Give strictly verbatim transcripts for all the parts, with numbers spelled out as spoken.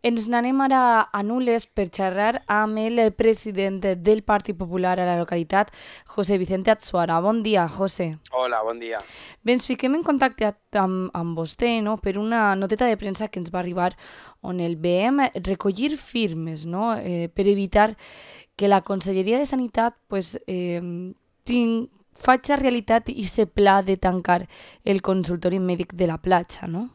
Ens n'anem ara a Nules per xerrar amb el president del Partit Popular a la localitat, José Vicente Atsuara. Bon dia, José. Hola, bon dia. Bé, ens fiquem en contacte amb, amb vostè, no?, per una noteta de premsa que ens va arribar on el veiem recollir firmes, no?, eh, per evitar que la Conselleria de Sanitat pues, eh, ting, faci realitat i se pla de tancar el consultori mèdic de la platja, no?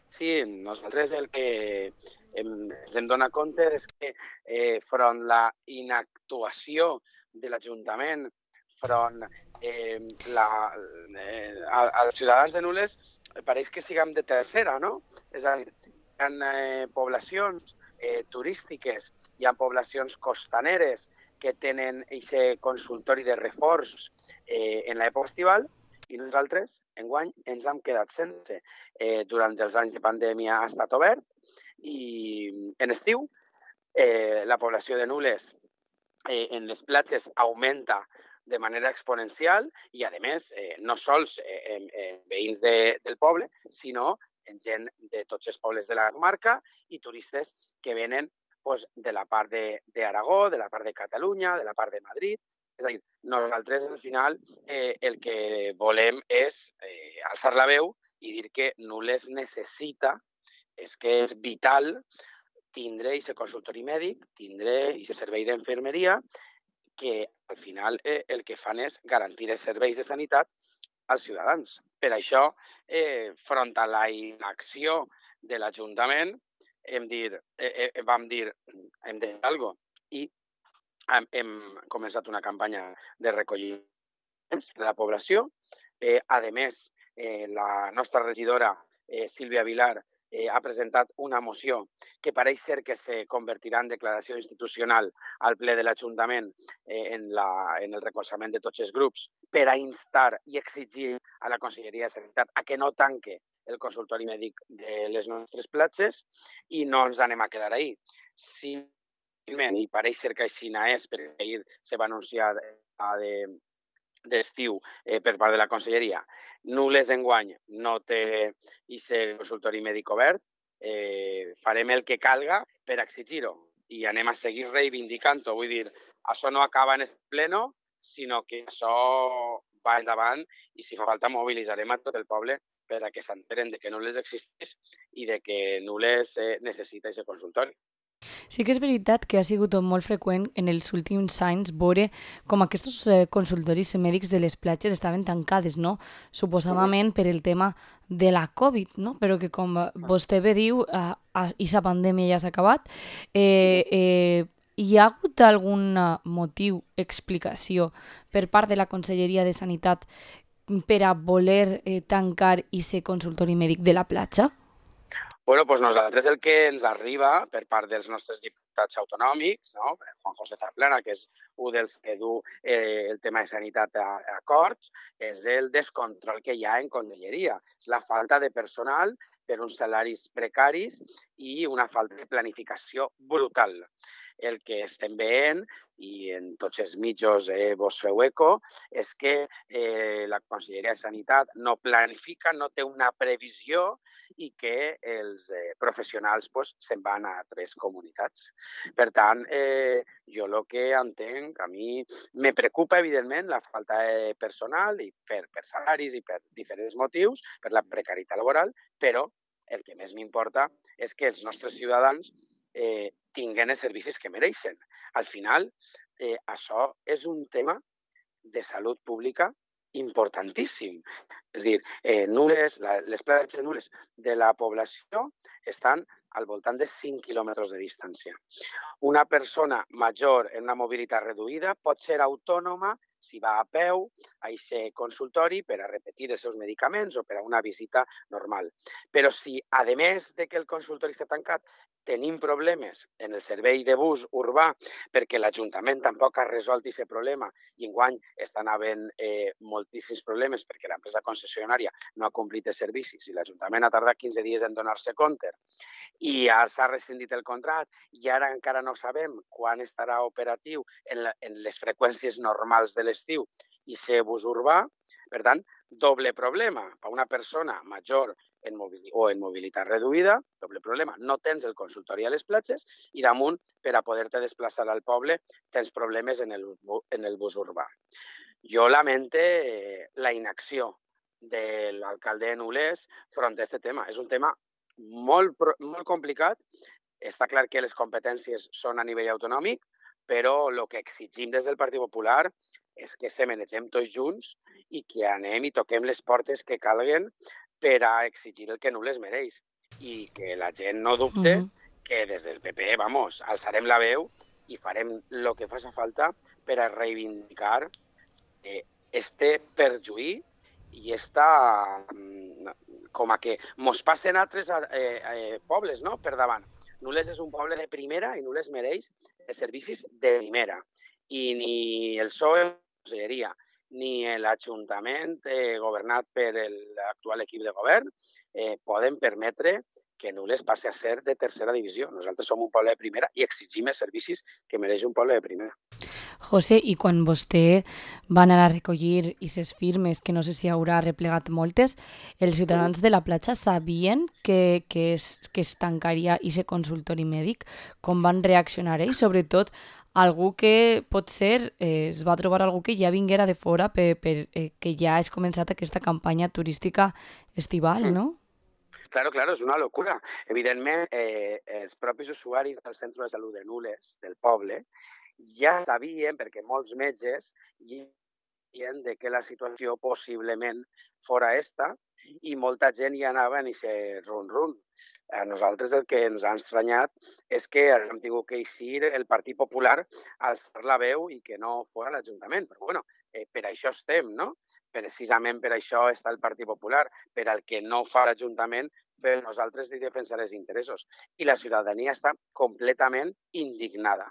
Sí, nosaltres el que hem, ens hem donat compte és que eh, front la inactuació de l'Ajuntament, front eh, la, eh, als ciutadans de Nules, pareix que siguem de tercera, no? És a dir, hi ha eh, poblacions eh, turístiques, hi ha poblacions costaneres que tenen aquest consultori de reforç eh, en l'època estival, i nosaltres, enguany, ens hem quedat sense. Eh, durant els anys de pandèmia ha estat obert i en estiu eh, la població de Nules eh, en les platges augmenta de manera exponencial i, a més, eh, no sols eh, en, en veïns de, del poble, sinó en gent de tots els pobles de la comarca i turistes que venen pues, de la part d'Aragó, de, de la part de Catalunya, de la part de Madrid. És a dir, nosaltres, al final, eh, el que volem és eh, alçar la veu i dir que Nules necessita, és que és vital tindre aquest consultori mèdic, tindre aquest servei d'infermeria, que al final eh, el que fan és garantir els serveis de sanitat als ciutadans. Per això, eh, front a la inacció de l'Ajuntament, hem dir, eh, eh, vam dir, hem de fer alguna cosa. I hem, hem començat una campanya de recolliment de la població. Eh, a més, eh, la nostra regidora, eh, Sílvia Vilar, eh, ha presentat una moció que pareix ser que se convertirà en declaració institucional al ple de l'Ajuntament eh, en, la, en el recolzament de tots els grups per a instar i exigir a la Conselleria de Sanitat a que no tanque el consultori mèdic de les nostres platges i no ens anem a quedar ahí. Si i pareix ser que així és, perquè ahir se va anunciar de, d'estiu eh, per part de la Conselleria. Nules enguany no té aquest consultori mèdic obert, eh, farem el que calga per exigir-ho i anem a seguir reivindicant-ho. Vull dir, això no acaba en el pleno, sinó que això va endavant i si fa falta mobilitzarem a tot el poble per a que s'enteren de que Nules existeix i de que Nules eh, necessita aquest consultori. Sí que és veritat que ha sigut molt freqüent en els últims anys veure com aquests eh, consultoris mèdics de les platges estaven tancades, no? Suposadament per el tema de la Covid, no? Però que com vostè bé diu, eh, aquesta pandèmia ja s'ha acabat. Eh, eh, hi ha hagut algun motiu, explicació per part de la Conselleria de Sanitat per a voler eh, tancar aquest consultori mèdic de la platja? Bueno, doncs nosaltres el que ens arriba per part dels nostres diputats autonòmics, no? Juan José Zaplana, que és un dels que du eh, el tema de sanitat a, a acords, és el descontrol que hi ha en conselleria. És la falta de personal per uns salaris precaris i una falta de planificació brutal. El que estem veient, i en tots els mitjos eh, vos feu eco, és que eh, la Conselleria de Sanitat no planifica, no té una previsió i que els eh, professionals pues, se'n van a altres comunitats. Per tant, eh, jo el que entenc, a mi me preocupa, evidentment, la falta de personal i per, per salaris i per diferents motius, per la precarietat laboral, però el que més m'importa és que els nostres ciutadans eh, tinguen els servicis que mereixen. Al final, eh, això és un tema de salut pública importantíssim. És a dir, eh, Nules, la, les platges de Nules de la població estan al voltant de cinc quilòmetres de distància. Una persona major en una mobilitat reduïda pot ser autònoma si va a peu a aquest consultori per a repetir els seus medicaments o per a una visita normal. Però si, a més de que el consultori està tancat, tenim problemes en el servei de bus urbà perquè l'Ajuntament tampoc ha resolt aquest problema i enguany estan havent eh, moltíssims problemes perquè l'empresa concessionària no ha complit els servicis i l'Ajuntament ha tardat quinze dies en donar-se compte i ja s'ha rescindit el contracte i ara encara no sabem quan estarà operatiu en, la, en les freqüències normals de l'estiu i ser bus urbà. Per tant, doble problema. Per una persona major en mobili o en mobilitat reduïda, doble problema, no tens el consultori a les platges i damunt, per a poder-te desplaçar al poble, tens problemes en el, en el bus urbà. Jo lamente la inacció de l'alcalde de Nules front a aquest tema. És un tema molt, molt complicat. Està clar que les competències són a nivell autonòmic, però el que exigim des del Partit Popular és que se manegem tots junts i que anem i toquem les portes que calguen per a exigir el que Nules mereix. I que la gent no dubte uh -huh. que des del P P, vamos, alçarem la veu i farem el que faci falta per a reivindicar este perjuí i esta, com a que mos passen altres eh, eh, pobles, no?, per davant. Nules és un poble de primera i Nules mereix servicis de primera. I ni el P S O E, la Conselleria, ni l'Ajuntament eh, governat per l'actual equip de govern eh, poden permetre que Nules passi a ser de tercera divisió. Nosaltres som un poble de primera i exigim els servicis que mereix un poble de primera. José, i quan vostè va anar a recollir aquestes firmes, que no sé si haurà replegat moltes, els ciutadans de la platja sabien que, que, es, que es tancaria aquest consultori mèdic? Com van reaccionar ells? Sobretot, algú que potser eh, es va trobar algú que ja vinguera de fora per, per eh, que ja has començat aquesta campanya turística estival, no? Claro, claro, és una locura. Evidentment, eh, els propis usuaris del Centre de Salut de Nules, del poble, ja sabien, perquè molts metges sabien de que la situació possiblement fora esta i molta gent hi anava en aquest run-run. A nosaltres el que ens ha estranyat és que hem tingut que eixir el Partit Popular a alçar la veu i que no fora l'Ajuntament. Però bueno, eh, per això estem, no? Precisament per això està el Partit Popular, per al que no fa l'Ajuntament, fer nosaltres i defensar els interessos. I la ciutadania està completament indignada.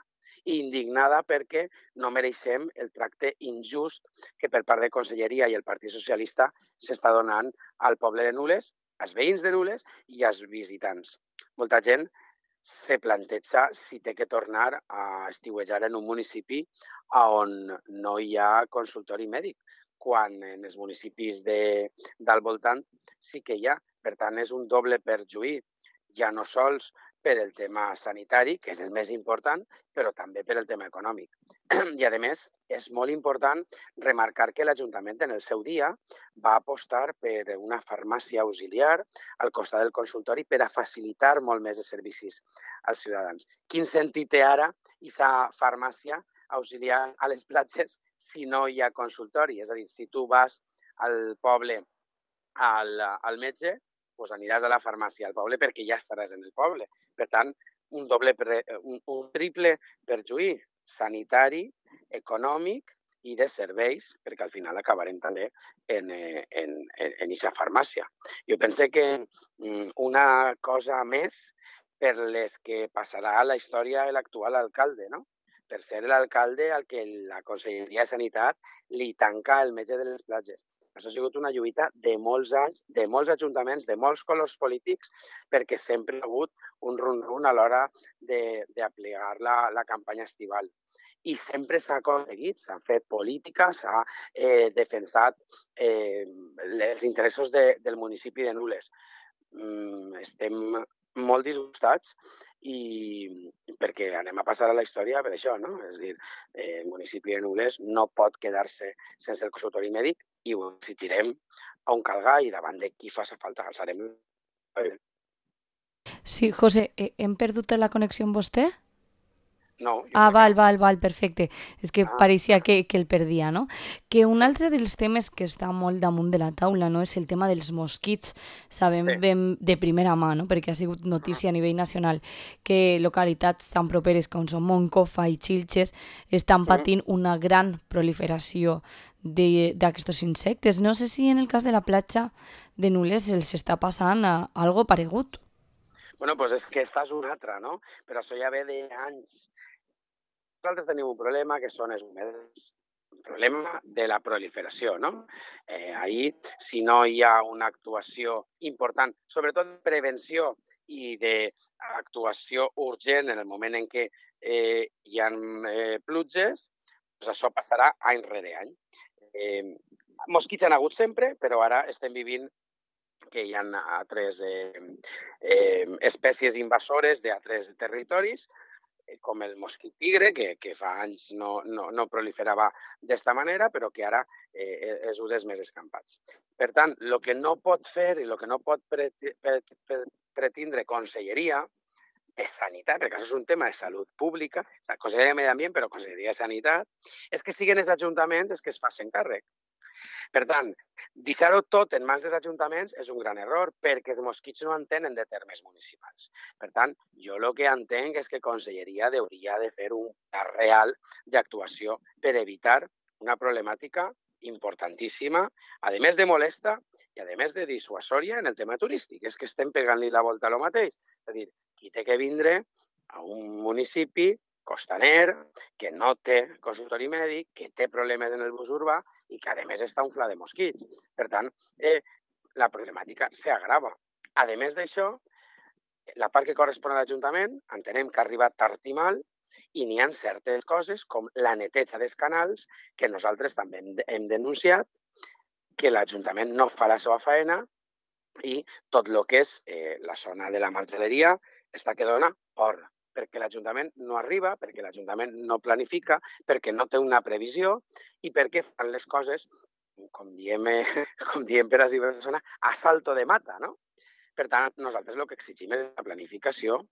Indignada perquè no mereixem el tracte injust que per part de Conselleria i el Partit Socialista s'està donant al poble de Nules, als veïns de Nules i als visitants. Molta gent se planteja si té que tornar a estiuejar en un municipi on no hi ha consultori mèdic, quan en els municipis de, del voltant sí que hi ha. Per tant, és un doble perjuí, ja no sols per el tema sanitari, que és el més important, però també per el tema econòmic. I, a més, és molt important remarcar que l'Ajuntament en el seu dia va apostar per una farmàcia auxiliar al costat del consultori per a facilitar molt més els servicis als ciutadans. Quin sentit té ara aquesta farmàcia auxiliar a les platges si no hi ha consultori? És a dir, si tu vas al poble al, al metge, doncs aniràs a la farmàcia al poble perquè ja estaràs en el poble. Per tant, un, doble pre, un, un triple perjuí sanitari, econòmic i de serveis, perquè al final acabarem també en aquesta farmàcia. Jo penso que una cosa més per les que passarà a la història de l'actual alcalde, no? Per ser l'alcalde al que la Conselleria de Sanitat li tanca el metge de les platges. Això ha sigut una lluita de molts anys, de molts ajuntaments, de molts colors polítics, perquè sempre hi ha hagut un run-run a l'hora d'aplicar la, la campanya estival. I sempre s'ha aconseguit, s'ha fet política, s'ha eh, defensat eh, els interessos de, del municipi de Nules. Mm, estem molt disgustats i perquè anem a passar a la història per això, no? És a dir, eh, el municipi de Nules no pot quedar-se sense el consultori mèdic i ho exigirem on calga i davant de qui faci falta. Alçarem. Sí, José, hem perdut la connexió amb vostè? No. Ah, val, val, val, perfecte. És que ah. pareixia que, que el perdia, no? Que un altre dels temes que està molt damunt de la taula, no?, és el tema dels mosquits. Sabem sí. de, de primera mà, no?, perquè ha sigut notícia a nivell nacional, que localitats tan properes com són Moncofa i Xilxes estan patint una gran proliferació d'aquests insectes. No sé si en el cas de la platja de Nules els està passant a algo paregut. Bueno, doncs és que esta és una altra, no? Però això ja ve d'anys. Nosaltres tenim un problema que són els humedals, un problema de la proliferació, no? Eh, ahir, si no hi ha una actuació important, sobretot de prevenció i d'actuació urgent en el moment en què eh, hi ha eh, pluges, doncs això passarà any rere any. Eh, mosquits han hagut sempre, però ara estem vivint que hi ha altres eh, eh, espècies invasores d'altres territoris, com el mosquit tigre, que, que fa anys no, no, no proliferava d'esta manera, però que ara eh, és un dels més escampats. Per tant, el que no pot fer i el que no pot pretindre Conselleria de Sanitat, perquè això és un tema de salut pública, o sigui, Conselleria de Medi Ambient, però Conselleria de Sanitat, és que siguin els ajuntaments els que es facin càrrec. Per tant, deixar-ho tot en mans dels ajuntaments és un gran error perquè els mosquits no entenen de termes municipals. Per tant, jo el que entenc és que Conselleria hauria de fer un pla real d'actuació per evitar una problemàtica importantíssima, a més de molesta i a més de dissuasòria en el tema turístic. És que estem pegant-li la volta a lo mateix. És a dir, qui té que vindre a un municipi costaner, que no té consultori mèdic, que té problemes en el bus urbà i que, a més, està un fla de mosquits. Per tant, eh, la problemàtica s'agrava. A més d'això, la part que correspon a l'Ajuntament, entenem que ha arribat tard i mal, i n'hi ha certes coses com la neteja dels canals, que nosaltres també hem denunciat, que l'Ajuntament no fa la seva feina i tot el que és eh, la zona de la margeleria està que dona por, perquè l'Ajuntament no arriba, perquè l'Ajuntament no planifica, perquè no té una previsió i perquè fan les coses, com diem, eh, com diem per així persona, a salto de mata, no? Per tant, nosaltres el que exigim és la planificació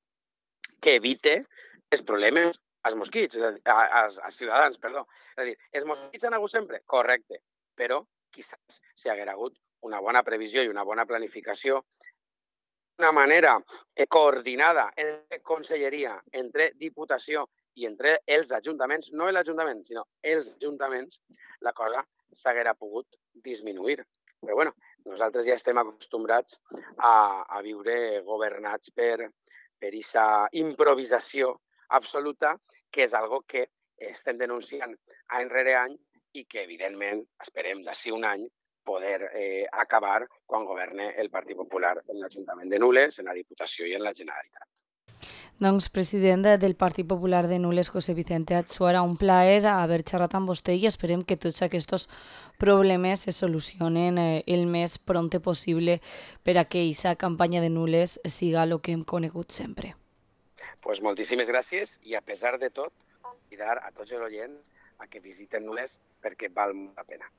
que evite els problemes als mosquits, als, als ciutadans, perdó. És a dir, els mosquits han hagut sempre? Correcte, però quizás si haguera hagut una bona previsió i una bona planificació, una manera coordinada entre Conselleria, entre Diputació i entre els ajuntaments, no l'Ajuntament, sinó els ajuntaments, la cosa s'haguera pogut disminuir. Però bueno, nosaltres ja estem acostumbrats a, a viure governats per per aquesta improvisació absoluta, que és algo que estem denunciant any rere any i que, evidentment, esperem d'ací un any poder eh, acabar quan governe el Partit Popular en l'Ajuntament de Nules, en la Diputació i en la Generalitat. Doncs, president del Partit Popular de Nules, José Vicente Atsuara, un plaer haver xerrat amb vostè i esperem que tots aquests problemes se solucionen el més pronte possible per a que aquesta campanya de Nules siga el que hem conegut sempre. Pues moltíssimes gràcies i, a pesar de tot, convidar a tots els oients a que visiten Nules perquè val molt la pena.